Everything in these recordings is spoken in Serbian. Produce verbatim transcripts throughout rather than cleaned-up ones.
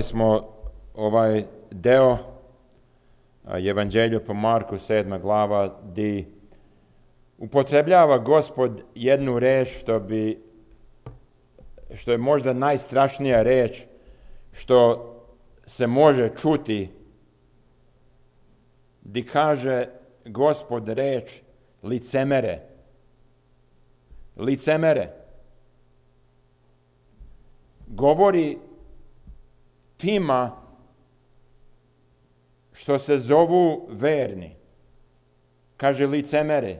smo ovaj deo Evanđelja po Marku sedma glava gdje upotrebljava Gospod jednu reč što bi što je možda najstrašnija reč što se može čuti, gdje kaže Gospod reč licemere. Licemere. Govori tima što se zovu verni. Kaže licemere.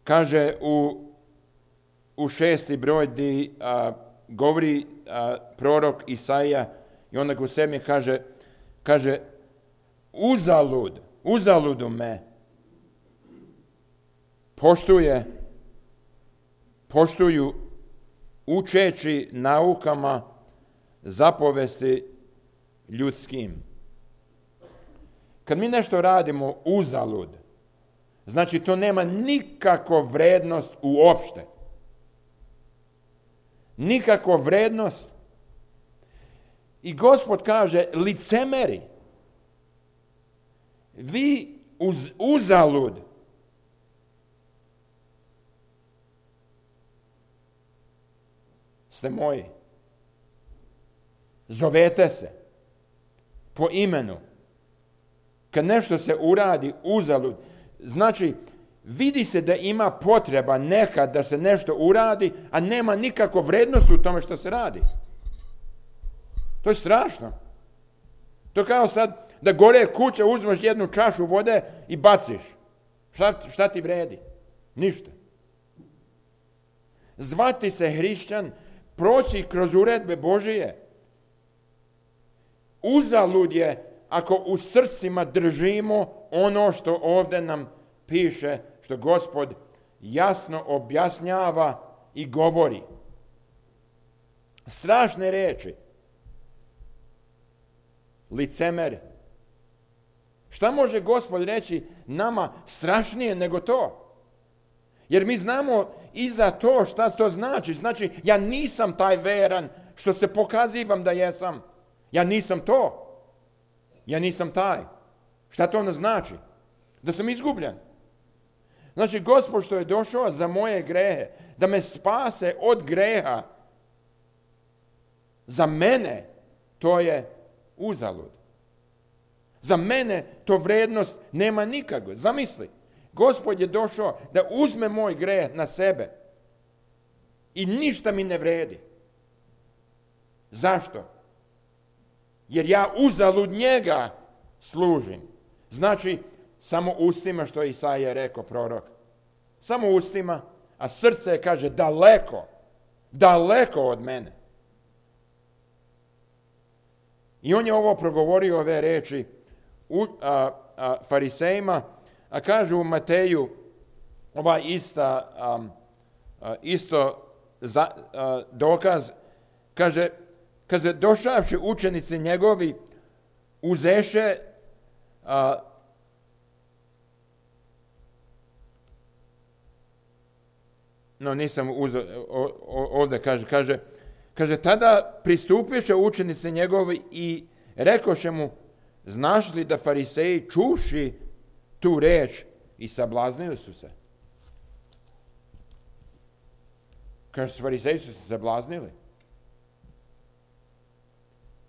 Kaže u, u šesti broj gdje a, govori a, prorok Isaija i onda u sedmi kaže, kaže uzalud, uzaludu me poštuje, poštuju učeći naukama zapovesti ljudskim. Kad mi nešto radimo uzalud, znači to nema nikakvu vrednost uopšte. Nikakvu vrednost. I Gospod kaže, licemeri, vi uz, uzalud ste moji. Zovete se po imenu. Kad nešto se uradi uzalud, znači vidi se da ima potreba nekad da se nešto uradi, a nema nikakvu vrednost u tome što se radi. To je strašno. To kao sad da gore kuća uzmeš jednu čašu vode i baciš. Šta, šta ti vredi? Ništa. Zvati se hrišćan, proći kroz uredbe Božije. Uzalud je ako u srcima držimo ono što ovdje nam piše, što Gospod jasno objašnjava i govori. Strašne riječi. Licemer. Šta može Gospod reći nama strašnije nego to? Jer mi znamo i za to šta to znači. Znači, ja nisam taj veran što se pokazivam da jesam. Ja nisam to. Ja nisam taj. Šta to onda znači? Da sam izgubljen. Znači, Gospod što je došao za moje grehe, da me spase od greha, za mene to je uzalud. Za mene to vrednost nema nikakve. Zamisli, Gospod je došao da uzme moj greh na sebe i ništa mi ne vredi. Zašto? Jer ja uzalud njega služim. Znači, samo ustima što je Isaija rekao, prorok. Samo ustima, a srce kaže daleko, daleko od mene. I on je ovo progovorio, ove reči u, a, a, farisejima, a kaže u Mateju ovaj ista, a, a, isto za, a, dokaz, kaže, kaže, došavši učenici njegovi, uzeše a, no nisam uzeo, ovdje kaže, kaže, kaže, tada pristupiše učenici njegovi i rekoše mu, znaš li da fariseji čuši tu reč i sablaznili su se? Kaže, fariseji su se sablaznili.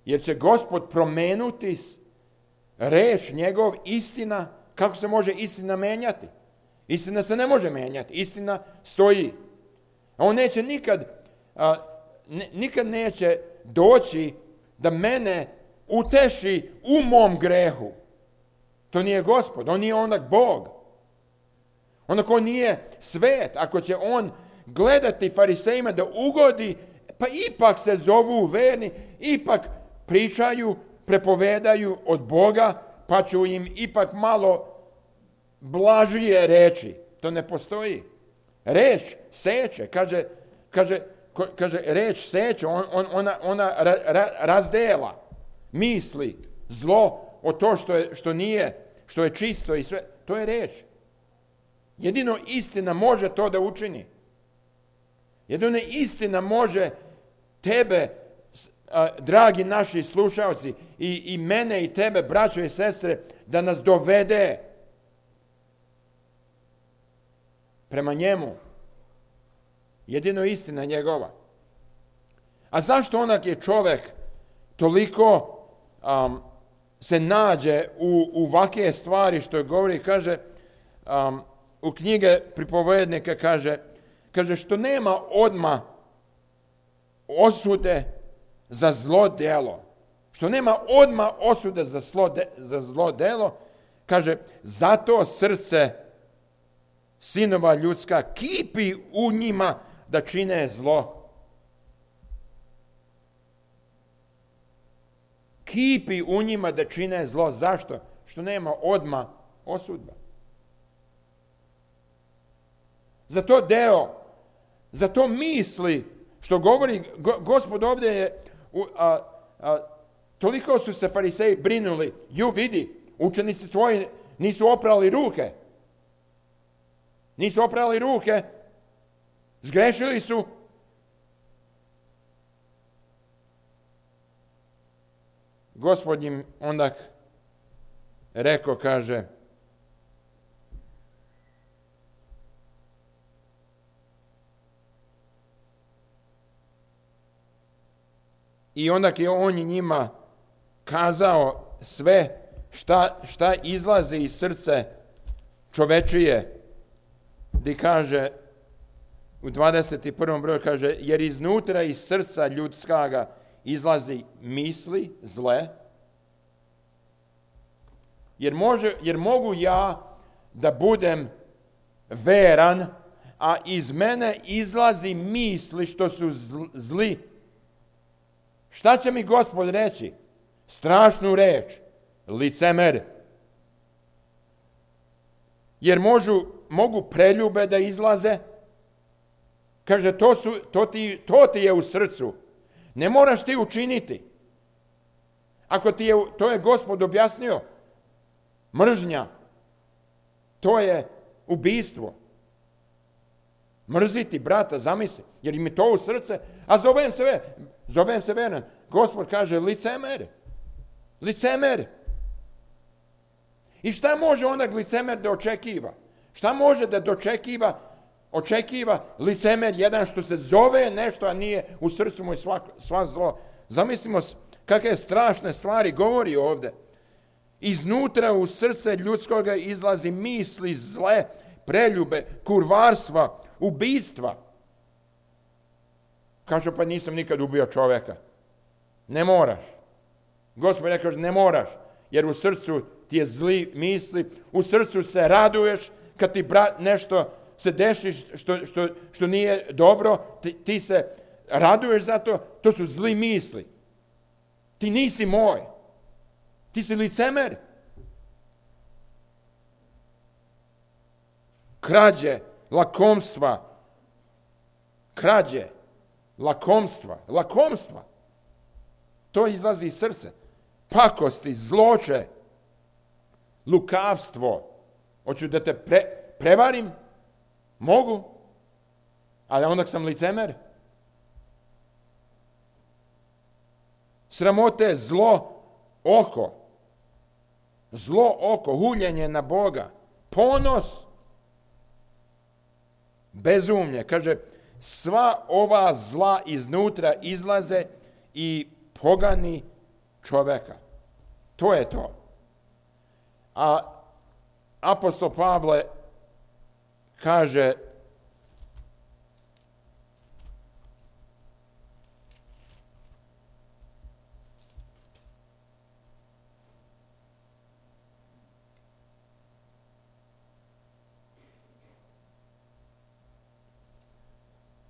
Jer će Gospod promenuti reč njegov, istina, kako se može istina menjati? Istina se ne može menjati, istina stoji. On neće nikad, a, ne, nikad neće doći da mene uteši u mom grehu. To nije Gospod, on nije onak Bog. Onak on nije svet, ako će on gledati farisejima da ugodi, pa ipak se zovu verni, ipak pričaju, prepovedaju od Boga, pa ću im ipak malo blažije reći. To ne postoji. Reč seče, kaže, kaže, kaže reč seče, on, on, ona, ona ra, ra, razdela misli, zlo od to što, je, što nije, što je čisto i sve. To je reč. Jedino istina može to da učini. Jedino istina može tebe dragi naši slušalci, i, i mene i tebe, braćo i sestre, da nas dovede prema njemu. Jedino istina njegova. A zašto onak je čovjek toliko um, se nađe u, u ovakve stvari što je govori, kaže, um, u knjige pripovednika kaže, kaže što nema odma osude za zlo djelo. Što nema odma osude za zlo, de, za zlo djelo, kaže, zato srce sinova ljudska kipi u njima da čine zlo. Kipi u njima da čine zlo. Zašto? Što nema odma osudba. Za to deo, za to misli, što govori go, Gospod ovdje je, a, a, toliko su se fariseji brinuli, ju vidi, učenici tvoji nisu oprali ruke. Nisu oprali ruke, zgrešili su. Gospod im onda rekao, kaže, i onda je on njima kazao sve šta, šta izlazi iz srce čovečije, gdje kaže u dvadeset prvom broju, kaže, jer iznutra iz srca ljudskaga izlazi misli zle, jer, može, jer mogu ja da budem veran, a iz mene izlazi misli što su zli. Šta će mi Gospod reći? Strašnu reč, licemer. Jer možu, mogu preljube da izlaze. Kaže, to, su, to, ti, to ti je u srcu. Ne moraš ti učiniti. Ako ti je, to je Gospod objasnio, mržnja, to je ubijstvo. Mrziti brata, zamisli, jer im je to u srce, a zovem se, zovem se veran. Gospod kaže, licemer, licemer. I šta može onda licemer da očekiva? Šta može da dočekiva, očekiva licemer jedan što se zove nešto, a nije u srcu mu sva, sva zlo. Zamislimo kakve strašne stvari govori ovdje. Iznutra u srce ljudskoga izlazi misli zle, preljube, kurvarstva, ubijstva. Kaže, pa nisam nikad ubio čovjeka. Ne moraš. Gospod rekao, ne moraš, jer u srcu ti je zli misli, u srcu se raduješ kad ti brat nešto se deši što, što, što nije dobro, ti, ti se raduješ za to, to su zli misli. Ti nisi moj. Ti si licemer. Krađe, lakomstva, krađe, lakomstva, lakomstva. To izlazi iz srca. Pakosti, zloče, lukavstvo. Hoću da te pre, prevarim? Mogu. Ali onda sam licemer. Sramote, zlo, oko. Zlo oko, huljenje na Boga. Ponos. Bezumlje. Kaže, sva ova zla iznutra izlaze i pogani čoveka. To je to. A apostol Pavle kaže,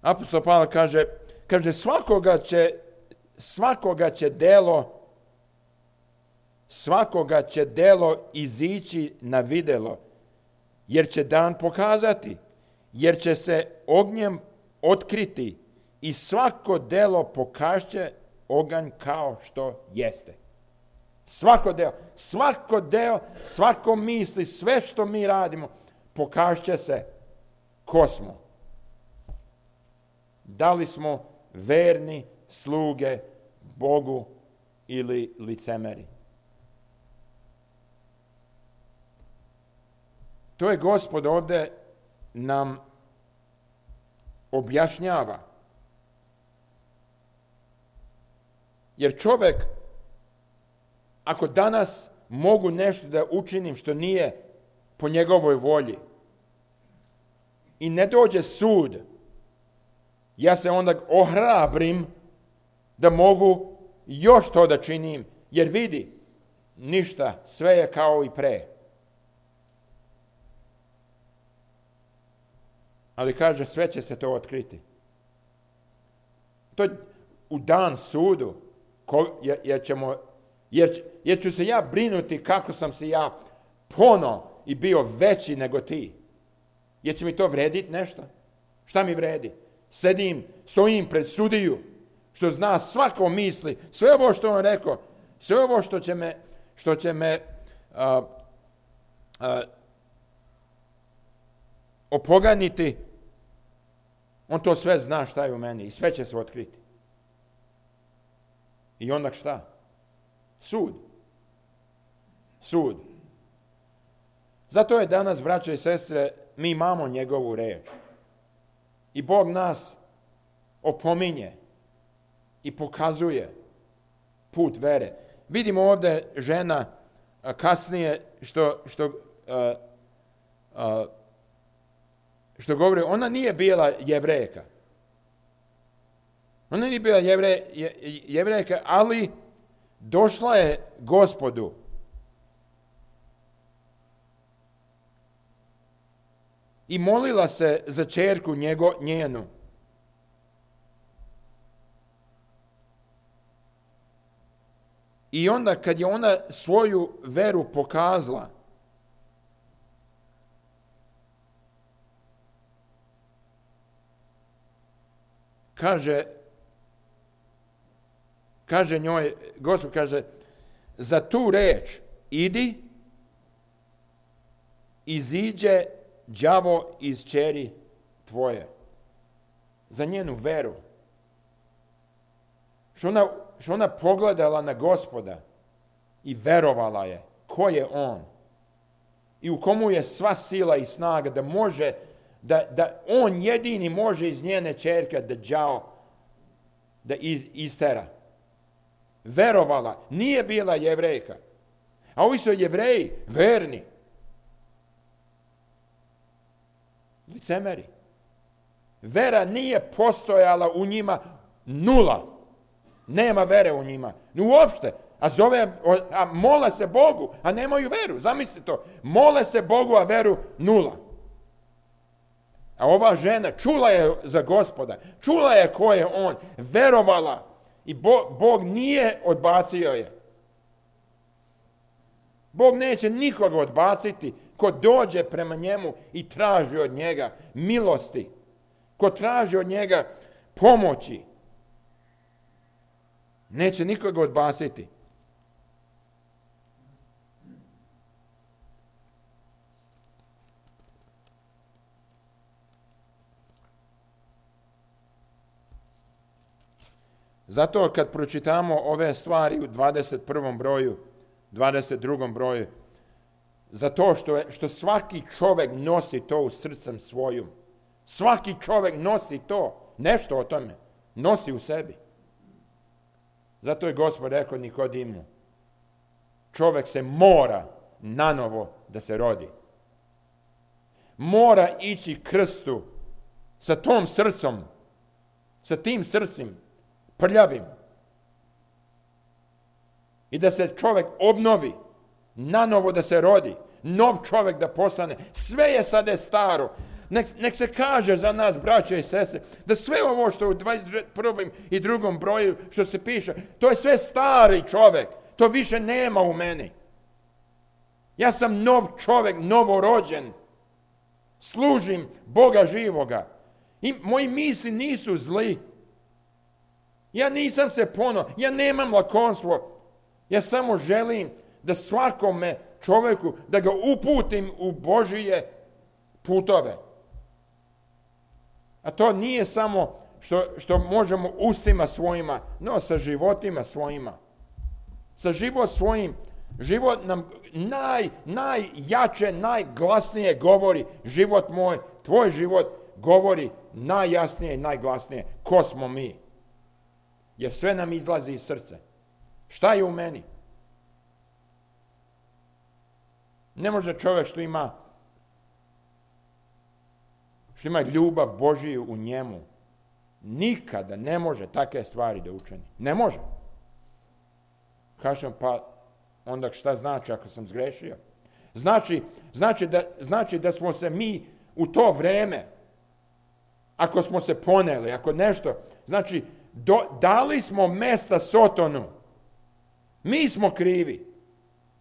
apostol Pavle kaže, kaže svakoga će, svakoga će delo, svakoga će delo izići na videlo, jer će dan pokazati, jer će se ognjem otkriti i svako delo pokašće oganj kao što jeste. Svako delo, svako delo, svako misli, sve što mi radimo, pokašće se ko smo. Da li smo verni sluge Bogu ili licemeri. To je Gospod ovdje nam objašnjava. Jer čovjek, ako danas mogu nešto da učinim što nije po njegovoj volji i ne dođe sud, ja se onda ohrabrim da mogu još to da činim, jer vidi, ništa, sve je kao i pre. Ali kaže, sve će se to otkriti. To u dan sudu, jer, ćemo, jer, jer ću se ja brinuti kako sam se ja pono i bio veći nego ti. Jer će mi to vrediti nešto? Šta mi vredi? Sedim, stojim pred sudiju, što zna svako misli, sve ovo što on rekao, sve ovo što će me, što će me a, a, opoganiti, on to sve zna šta je u meni i sve će se otkriti. I onda šta? Sud. Sud. Zato je danas, braćo i sestre, mi imamo njegovu reč. I Bog nas opominje i pokazuje put vere. Vidimo ovdje žena a, kasnije što, što, a, a, što govori, ona nije bila Jevrejka. Ona nije bila jevre, je, Jevrejka, ali došla je Gospodu. I molila se za ćerku njego, njenu. I onda kad je ona svoju veru pokazala, kaže, kaže njoj, Gospod kaže, za tu reč idi, iziđe đavo iz ćeri tvoje. Za njenu veru. Što ona, što ona pogledala na Gospoda i verovala je ko je on. I u komu je sva sila i snaga da može, da, da on jedini može iz njene ćerke da đavo, da iz, istera. Verovala, nije bila Jevrejka. A ovi su Jevreji, verni. Licemeri. Vera nije postojala u njima, nula. Nema vere u njima. Uopšte. A zove, a mole se Bogu, a nemaju veru. Zamislite to. Mole se Bogu, a veru nula. A ova žena čula je za Gospoda. Čula je ko je on. Verovala. I Bog, Bog nije odbacio je. Bog neće nikoga odbaciti ko dođe prema njemu i traži od njega milosti. Ko traži od njega pomoći. Neće nikoga odbaciti. Zato kad pročitamo ove stvari u dvadeset prvom broju, dvadeset drugom broju, zato što, je, što svaki čovjek nosi to u srcem svojom. Svaki čovjek nosi to, nešto o tome, nosi u sebi. Zato je Gospod rekao Nikodimu, čovjek se mora nanovo da se rodi. Mora ići krstu sa tom srcom, sa tim srcem, prljavim. I da se čovjek obnovi, nanovo da se rodi, nov čovjek da postane. Sve je sada staro. Nek, nek se kaže za nas, braće i sestre, da sve ovo što u dvadeset prvom i drugom broju što se piše, to je sve stari čovjek. To više nema u meni. Ja sam nov čovjek, novorođen. Služim Boga živoga. I moji misli nisu zli. Ja nisam se pono, ja nemam lakonstvo. Ja samo želim da svakome čovjeku, da ga uputim u Božije putove. A to nije samo što, što možemo ustima svojima, no sa životima svojima. Sa život svojim, život nam naj, najjače, najglasnije govori, život moj, tvoj život govori najjasnije i najglasnije ko smo mi. Jer sve nam izlazi iz srca. Šta je u meni? Ne može čovjek što ima što ima ljubav Božiju u njemu, nikada ne može takve stvari da učini. Ne može. Kažem, pa onda šta znači ako sam zgrešio? Znači, znači, da, znači da smo se mi u to vreme, ako smo se poneli, ako nešto, znači do, dali smo mesta Sotonu. Mi smo krivi.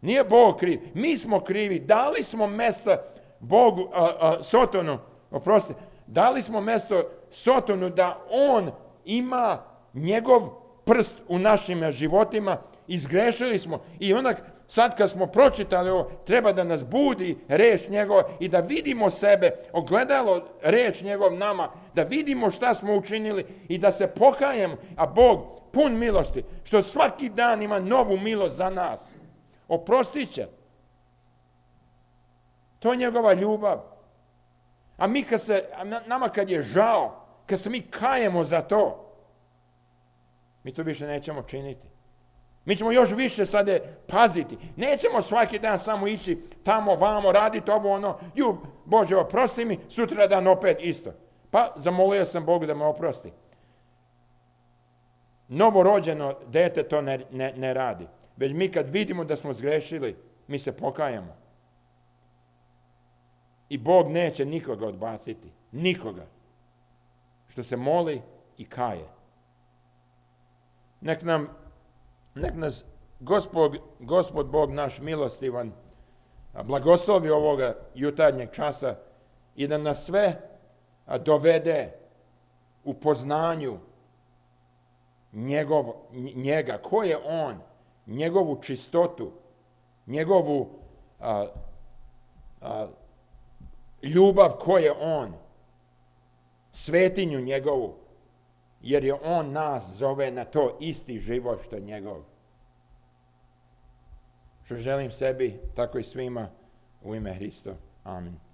Nije Bog kriv. Mi smo krivi. Dali smo mesta Bogu, a, a, Sotonu, oprosti, dali smo mjesto Sotonu da on ima njegov prst u našim životima, izgrešili smo i onda sad kad smo pročitali ovo, treba da nas budi reč njegova i da vidimo sebe, ogledalo reč njegov nama, da vidimo šta smo učinili i da se pokajemo, a Bog pun milosti, što svaki dan ima novu milost za nas. Oprostit će. To je njegova ljubav. A mi kad se, nama kad je žao, kad se mi kajemo za to, mi to više nećemo činiti. Mi ćemo još više sada paziti. Nećemo svaki dan samo ići tamo, vamo, raditi ovo, ono, ju, Bože, oprosti mi, sutra dan opet isto. Pa zamolio sam Bogu da me oprosti. Novorođeno dete to ne, ne, ne radi. Već mi kad vidimo da smo zgrešili, mi se pokajamo. I Bog neće nikoga odbaciti. Nikoga. Što se moli i kaje. Nek nam, nek nas Gospod, Gospod Bog naš milostivan blagoslovi ovoga jutarnjeg časa i da nas sve dovede u poznanju njegov, njega. Ko je on? Njegovu čistotu, njegovu a, a, ljubav ko je on, svetinju njegovu, jer je on nas zove na to isti život što je njegov. Što želim sebi, tako i svima u ime Hrista. Amen.